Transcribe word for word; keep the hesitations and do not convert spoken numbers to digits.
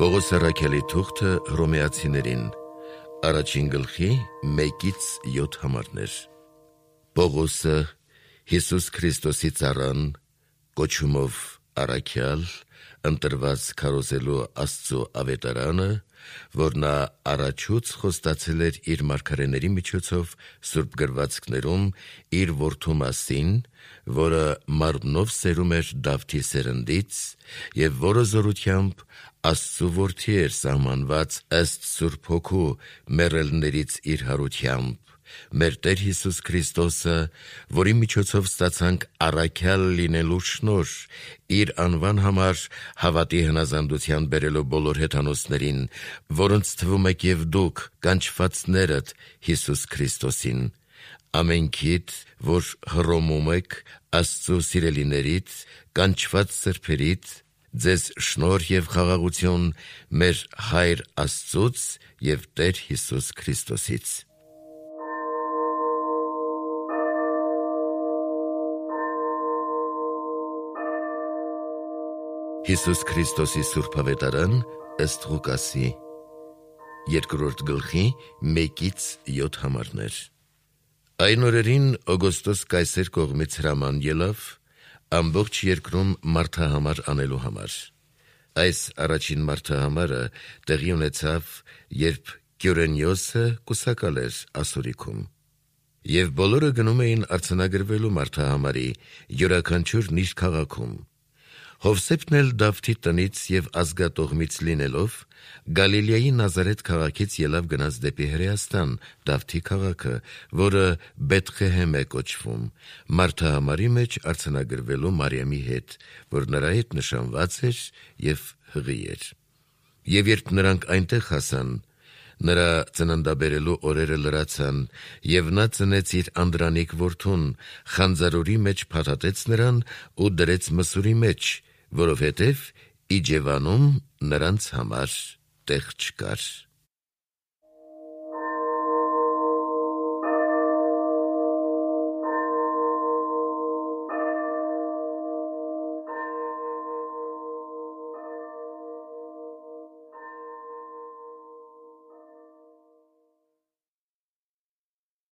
Պողոս առաքյալի թուղթը Հռոմեացիներին, առաջին գլխի մեկից յոթ համարներ։ Պողոսը, Հիսուս Քրիստոսի ծառան, կոչումով առաքյալ, ընտրված քարոզելու Աստծո ավետարանը, որ նա առաջուց խոստացել էր իր մարգարեների միջոցով սուրբ գրվածքներում իր որդու մասին, որը մարմնով սերում էր Դավթի սերնդից, եւ որը զորությամբ Աստծու որդի էր սահմանված ըստ Սուրբ Հոգու մեռելներից իր հարությամբ, մեր Տեր Հիսուս Քրիստոսը, որի միջոցով ստացանք առաքյալ լինելու շնորհ, իր անվան համար հավատի հնազանդության բերելով բոլոր հեթանոսներին, որոնց թվում եք եւ դուք, կանչվածներդ Հիսուս Քրիստոսին, ամենքիդ, որ Հռոմում եք, Աստծո սիրելիներիդ, կանչված սրբերիդ, ձեզ շնորհ եւ խաղաղություն մեր Հայր Աստծուց եւ Տեր Հիսուս Քրիստոսից։ Հիսուս Քրիստոսի սուրբ ավետարան ըստ Ղուկասի, երկրորդ գլխի մեկից յոթ համարներ։ Այն օրերին Օգոստոս կայսեր կողմից հրաման ելավ ամբողջ երկրում մարդահամար անելու համար։ Այս առաջին մարդահամարը տեղի ունեցավ, երբ Կյուրենիոսը կուսակալ էր Ասորիքում, եւ բոլորը գնում էին արձանագրվելու մարդահամարի, յուրաքանչյուրն իր քաղաքում։ Հովսեփն էլ Դավթի տնից եւ ազգատողմից լինելով, Գալիլեայի Նազարեթ քաղաքից ելավ գնաց դեպի Հրեաստան, Դավթի քաղաքը, որը Բեթղեհեմ է կոչվում, մարդահամարի մեջ արձանագրվելու Մարիամի հետ, որ նրա հետ նշանված էր եւ հղի էր։ Եվ երբ նրանք այնտեղ հասան, նրա ծննդաբերելու օրերը լրացան, եւ նա ծնեց իր անդրանիկ որդուն, խանձարորի մեջ փաթաթեց նրան ու դրեց մսուրի մեջ, որովհետև Իջևանում նրանց համար տեղ չկար։